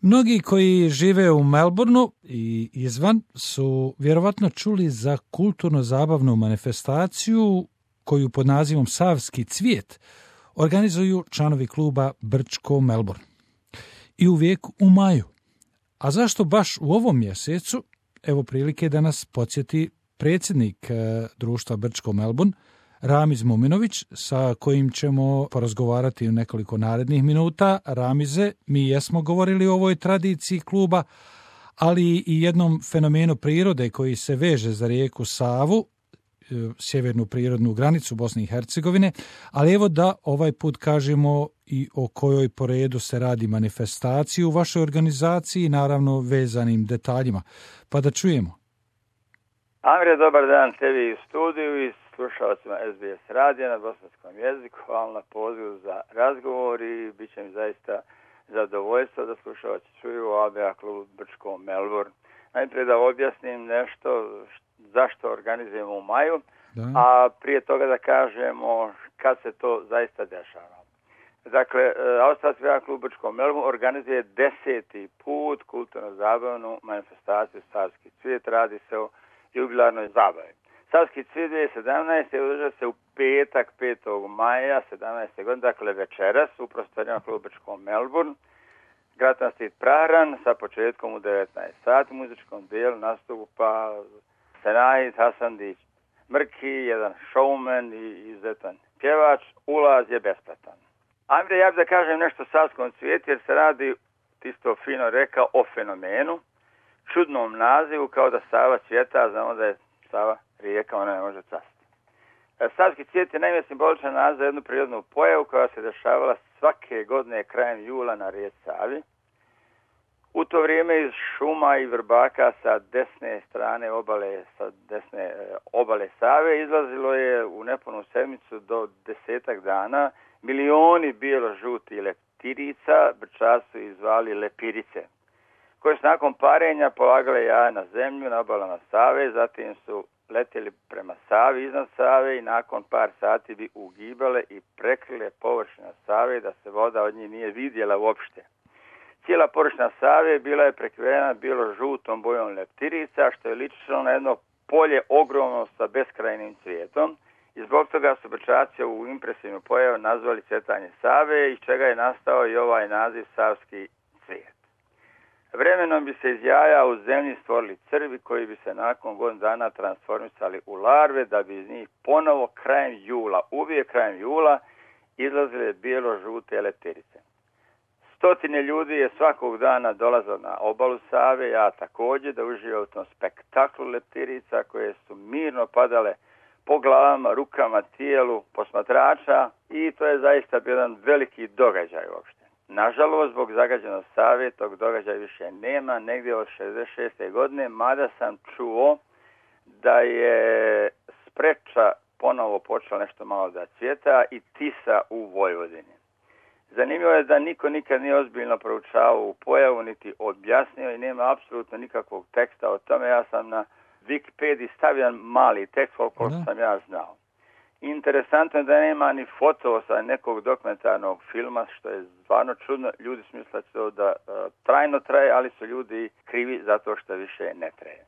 Mnogi koji žive u Melbourneu i izvan su vjerovatno čuli za kulturno-zabavnu manifestaciju koju pod nazivom Savski cvijet organizuju članovi kluba Brčko Melbourne. I uvijek u maju. A zašto baš u ovom mjesecu? Evo prilike da nas podsjeti predsjednik društva Brčko Melbourne, Ramiz Muminović, sa kojim ćemo porazgovarati u nekoliko narednih minuta. Ramize, mi jesmo govorili o ovoj tradiciji kluba, ali i jednom fenomenu prirode koji se veže za rijeku Savu, sjevernu prirodnu granicu Bosne i Hercegovine, ali evo da ovaj put kažemo i o kojoj po redu se radi manifestaciji u vašoj organizaciji, naravno vezanim detaljima. Pa da čujemo. Amire, dobar dan tebi u studiju i slušalcima SBS radija na bosanskom jeziku. Hvala na pozivu za razgovor i bit će mi zaista zadovoljstvo da slušalci čuju o ABA klubu Brčko Melbourne. Najprije da objasnim nešto zašto organizujemo u maju, a prije toga da kažemo kad se to zaista dešava. Dakle, Australski klub Brčko Melbourne organizuje 10. put kulturno-zabavnu manifestaciju Savski cvijet. Radi se o jubilarnoj zabavi. Savski cvijet 2017. održava se u petak 5. maja 17. godine, dakle večeras u prostorijama kluba Brčko Melbourne. Gratan Street Prahran sa početkom u 19 sati. U muzičkom dijelu nastupa Senajid Hasandić Mrki, jedan showman i izuzetan pjevač. Ulaz je besplatan. Ajde, ja bih da kažem nešto o Savskom cvijetu jer se radi, ti to fino rekao, o fenomenu, čudnom nazivu, kao da Sava cvjeta, znamo da je Sava rijeka, ona ne može cvasti. Savski cvijet je naime simboličan naziv za jednu prirodnu pojavu koja se dešavala svake godine krajem jula na rijeci Savi. U to vrijeme iz šuma i vrbaka sa desne strane obale Save izlazilo je u nepunu sedmicu do 10 dana milioni bijelo-žutih leptirica, Brčaci su ih zvali lepirice, koje su nakon parenja polagale jaja na zemlju na obalama Save, zatim su letjeli prema Savi, iznad Save i nakon par sati bi ugibale i prekrile površina Save da se voda od njih nije vidjela uopšte. Cijela površina Save bila je prekrivena bijelo-žutom bojom leptirica, što je ličilo na jedno polje ogromno sa beskrajnim cvijetom. I zbog toga su Brčaci u impresivnu pojavu nazvali cvjetanje Save, iz čega je nastao i ovaj naziv Savski cvijet. Vremenom bi se iz jaja u zemlji stvorili crvi koji bi se nakon godinu dana transformisali u larve, da bi iz njih ponovo krajem jula, uvijek krajem jula, izlazile bijelo-žute leptirice. Stotine ljudi je svakog dana dolazilo na obalu Save, ja također, da uživa u tom spektaklu leptirica koje su mirno padale po glavama, rukama, tijelu posmatrača i to je zaista bio jedan veliki događaj uopšte. Nažalost, zbog zagađenosti Save tog događaja više nema, negdje od 66. godine, mada sam čuo da je Spreča ponovo počela nešto malo da cvjeta i Tisa u Vojvodini. Zanimljivo je da niko nikad nije ozbiljno proučavao u pojavu, niti objasnio i nema apsolutno nikakvog teksta o tome. Ja sam na Wikipediji stavio mali tekst koliko sam ja znao. Interesantno je da nema ni foto sa nekog dokumentarnog filma, što je stvarno čudno. Ljudi su mislili da trajno traje, ali su ljudi krivi zato što više ne traje.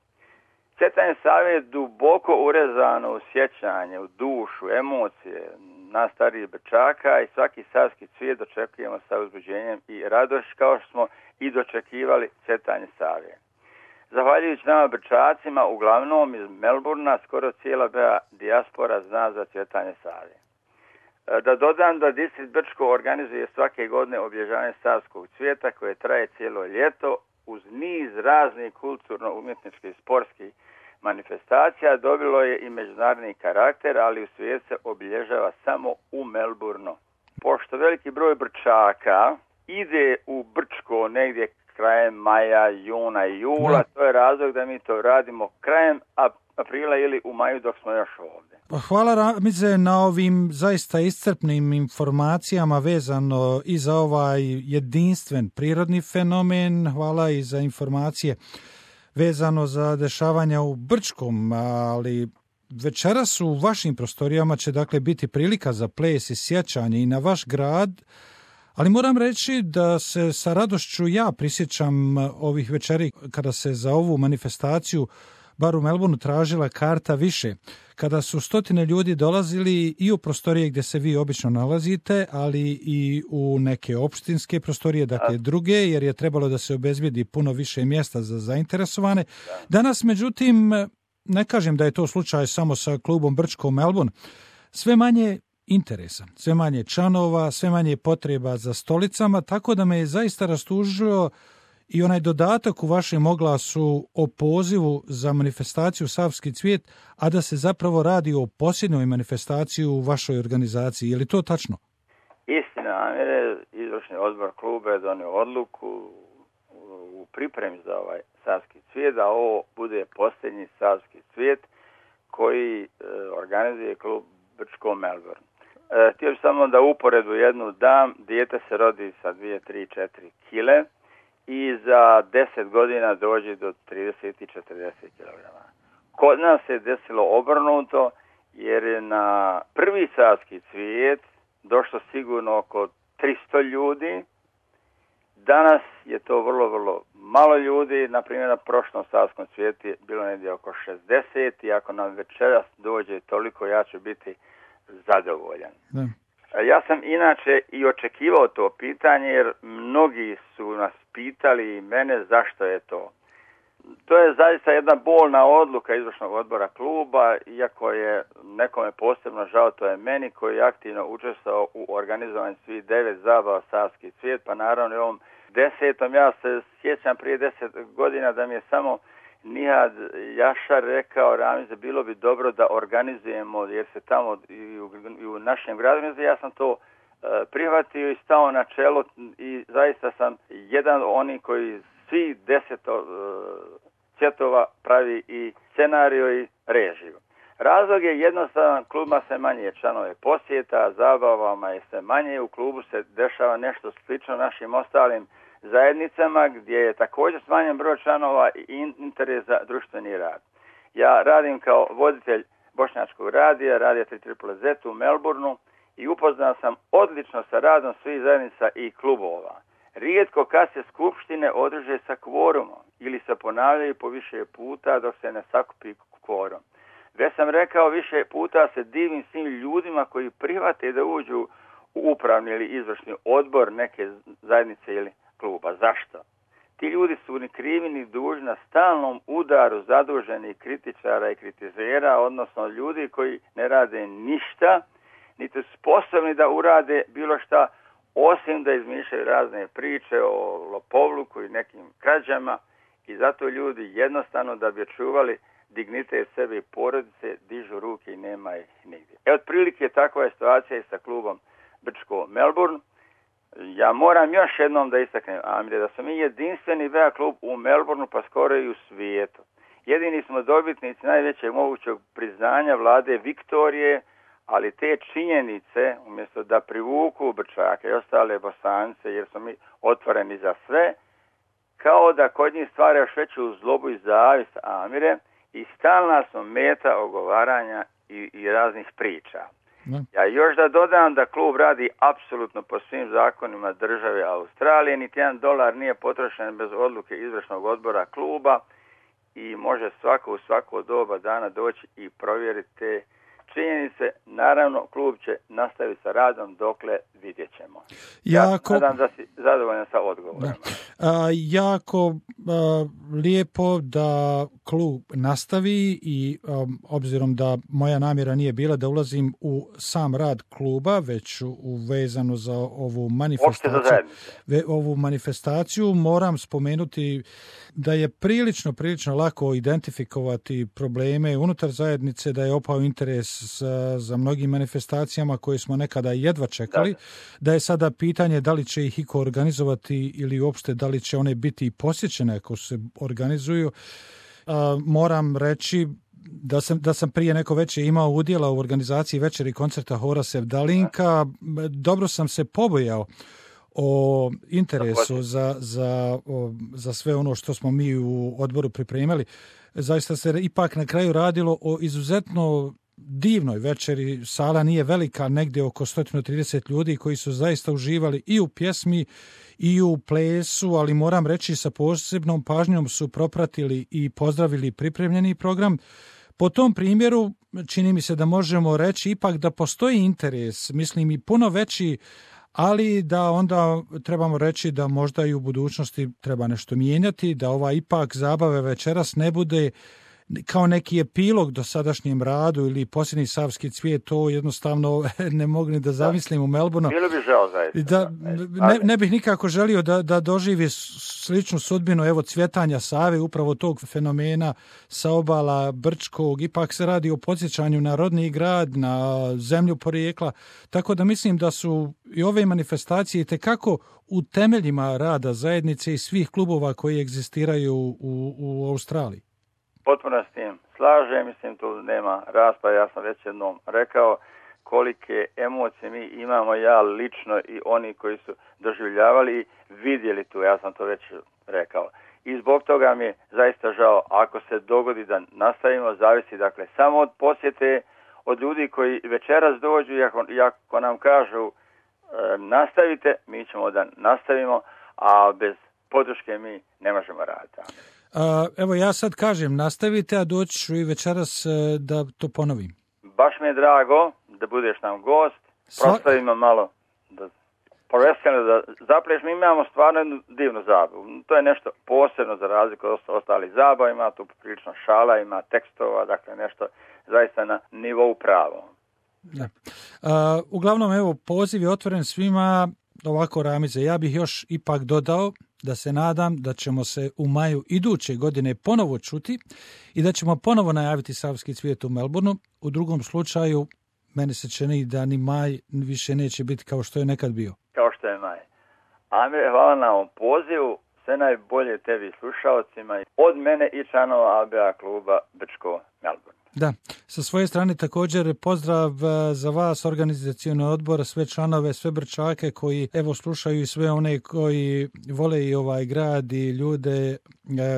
Cvjetanje Save je duboko urezano u sjećanje, u dušu, emocije nas starijih Brčaka i svaki savski cvijet dočekujemo sa uzbuđenjem i radošću kao što smo i dočekivali cvjetanje Save. Zahvaljujući nama Brčacima, uglavnom iz Melbournea, skoro cijela BA dijaspora zna za cvjetanje Save. Da dodam da distrikt Brčko organizuje svake godine obilježavanje Savskog cvijeta koje traje cijelo ljeto uz niz raznih kulturno-umjetničkih i sportskih manifestacija. Dobilo je i međunarodni karakter, ali u svijetu se obilježava samo u Melbourneu. Pošto veliki broj Brčaka ide u Brčko negdje krajem maja, juna i jula, to je razlog da mi to radimo krajem aprila ili u maju dok smo još ovdje. Hvala Ramize na ovim zaista iscrpnim informacijama vezano i za ovaj jedinstven prirodni fenomen. Hvala i za informacije vezano za dešavanja u Brčkom, ali večeras u vašim prostorijama će dakle biti prilika za ples i sjećanje i na vaš grad, Ali moram reći da se sa radošću ja prisjećam ovih večeri kada se za ovu manifestaciju bar u Melbourneu tražila karta više, kada su stotine ljudi dolazili i u prostorije gdje se vi obično nalazite, ali i u neke opštinske prostorije, dakle druge, jer je trebalo da se obezbijedi puno više mjesta za zainteresovane. Danas, međutim, ne kažem da je to slučaj samo sa klubom Brčko Melbourne, sve manje interesa, sve manje članova, sve manje potreba za stolicama, tako da me je zaista rastužio i onaj dodatak u vašem oglasu o pozivu za manifestaciju Savski cvijet, a da se zapravo radi o posljednjoj manifestaciji u vašoj organizaciji. Je li to tačno? Istina, izvršni odbor kluba je donio odluku u pripremi za ovaj Savski cvijet, da ovo bude posljednji Savski cvijet koji organizuje klub Brčko Melbourne. Htio bih samo da uporedu jednu dam, dijete se rodi sa 2, 3, 4 kile, i za 10 godina dođe do 30 i 40 kg. Kod nas se desilo obrnuto, jer je na prvi Savski cvijet došlo sigurno oko 300 ljudi. Danas je to vrlo, vrlo malo ljudi. Na primjer, na prošlom Savskom cvijetu je bilo negdje oko 60 i ako nam večeras dođe toliko, ja ću biti zadovoljan. Da. Ja sam inače i očekivao to pitanje, jer mnogi su nas pitali i mene zašto je to. To je zaista jedna bolna odluka izvršnog odbora kluba, iako je nekome posebno žao, to je meni koji je aktivno učestvovao u organizovanju svih 9 zabava Savski cvijet, pa naravno i ovom 10. Ja se sjećam prije 10 godina da mi je samo Nihad Jašar rekao, Ramize, bilo bi dobro da organizujemo, jer se tamo i u našem gradu, ja sam to prihvatio i stao na čelo i zaista sam jedan od onih koji svi 10 cvjetova pravi i scenariju i režiju. Razlog je jednostavan, klubima se manje članove posjeta, zabavama je se manje, u klubu se dešava nešto slično našim ostalim zajednicama gdje je također smanjen broj članova i interes za društveni rad. Ja radim kao voditelj bošnjačkog radija 3ZZZ u Melbourneu i upoznao sam odlično sa radom svih zajednica i klubova. Rijetko kad se skupštine održe sa kvorumom ili se ponavljaju po više puta dok se ne sakupi kvorum. Već sam rekao, više puta se divim svim ljudima koji prihvate da uđu u upravni ili izvršni odbor neke zajednice ili kluba. Zašto? Ti ljudi su ni krivi ni dužni na stalnom udaru zaduženih kritičara i kritizera, odnosno ljudi koji ne rade ništa, niti sposobni da urade bilo šta, osim da izmišljaju razne priče o lopovluku i nekim krađama, i zato ljudi jednostavno da bi čuvali dignitet sebe i porodice dižu ruke i nema ih nigdje. Otprilike takva je situacija i sa klubom Brčko Melbourne. Ja moram još jednom da istaknem, Amire, da smo mi jedinstveni VA klub u Melbourneu, pa skoro i u svijetu. Jedini smo dobitnici najvećeg mogućeg priznanja vlade Viktorije, ali te činjenice, umjesto da privuku Brčake i ostale Bosance, jer smo mi otvoreni za sve, kao da kod njih stvara još veću zlobu i zavist, Amire, i stalna smo meta ogovaranja i raznih priča. Ja još da dodam da klub radi apsolutno po svim zakonima države Australije, niti $1 nije potrošen bez odluke izvršnog odbora kluba i može svako u svako doba dana doći i provjeriti te činjenice. Naravno, klub će nastaviti sa radom dokle vidjet ćemo. Nadam da si zadovoljan sa odgovorom. Jako lijepo da klub nastavi i obzirom da moja namjera nije bila da ulazim u sam rad kluba, već vezano za ovu manifestaciju, moram spomenuti da je prilično lako identifikovati probleme unutar zajednice, da je opao interes za mnogim manifestacijama koje smo nekada jedva čekali, da je sada pitanje da li će ih iko organizovati ili uopšte da li će one biti posjećene ako se organizuju. Moram reći da sam prije neko večer imao udjela u organizaciji večeri koncerta Hora Sevdalinka. Dobro sam se pobojao o interesu za sve ono što smo mi u odboru pripremili. Zaista se ipak na kraju radilo o izuzetno divnoj večeri. Sala nije velika, negdje oko 130 ljudi koji su zaista uživali i u pjesmi i u plesu, ali moram reći sa posebnom pažnjom su propratili i pozdravili pripremljeni program. Po tom primjeru čini mi se da možemo reći ipak da postoji interes, mislim i puno veći, ali da onda trebamo reći da možda i u budućnosti treba nešto mijenjati, da ova ipak zabave večeras ne bude kao neki epilog do sadašnjem radu ili posljednji Savski cvijet, to jednostavno ne mogu ni da zamislim u Melbourneu. Bilo bi žao zaista. Ne bih nikako želio da doživi sličnu sudbinu evo cvjetanja Save, upravo tog fenomena sa obala Brčkog. Ipak se radi o podsjećanju na rodni grad, na zemlju porijekla, tako da mislim da su i ove manifestacije itekako u temeljima rada zajednice i svih klubova koji egzistiraju u Australiji. Potpuno s tim slažem, mislim tu nema rasprave, ja sam već jednom rekao kolike emocije mi imamo, ja lično i oni koji su doživljavali i vidjeli tu, ja sam to već rekao. I zbog toga mi je zaista žao ako se dogodi da nastavimo, zavisi dakle samo od posjete, od ljudi koji večeras dođu i ako nam kažu nastavite, mi ćemo da nastavimo, a bez podrške mi ne možemo raditi. Evo ja sad kažem nastavite, a doći ću i večeras da to ponovim. Baš mi je drago da budeš nam gost, prostavimo malo da zapleš. Mi imamo stvarno jednu divnu zabavu. To je nešto posebno za razliku od ostalih zabava, ima tu prilično šala, ima tekstova, dakle nešto zaista na nivou pravo. Da. Uglavnom evo poziv je otvoren svima. Ovako Ramize, ja bih još ipak dodao da se nadam da ćemo se u maju iduće godine ponovo čuti i da ćemo ponovo najaviti Savski cvijet u Melbourneu. U drugom slučaju, meni se čini da ni maj više neće biti kao što je nekad bio. Kao što je maj. Amir, hvala na ovom pozivu. Sve najbolje tebi slušalcima od mene i članova ABA kluba Brčko Melbourne. Da, sa svoje strane također pozdrav za vas, organizacioni odbor, sve članove, sve Brčake koji evo slušaju i sve one koji vole i ovaj grad i ljude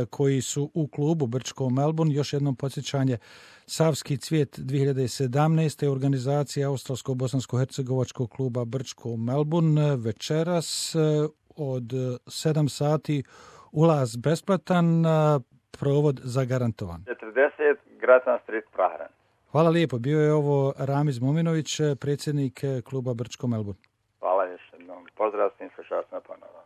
koji su u klubu Brčko Melbourne. Još jednom podsjećanje, Savski cvijet 2017. organizacija Australsko-bosansko-hercegovačkog kluba Brčko Melbourne. Večeras od 7 sati ulaz besplatan, provod zagarantovan. 40 Gratan Street, Prahran. Hvala lijepo. Bio je ovo Ramiz Muminović, predsjednik kluba Brčko Melbourne. Hvala još jednom. Pozdrav svim slušalcima ponovo.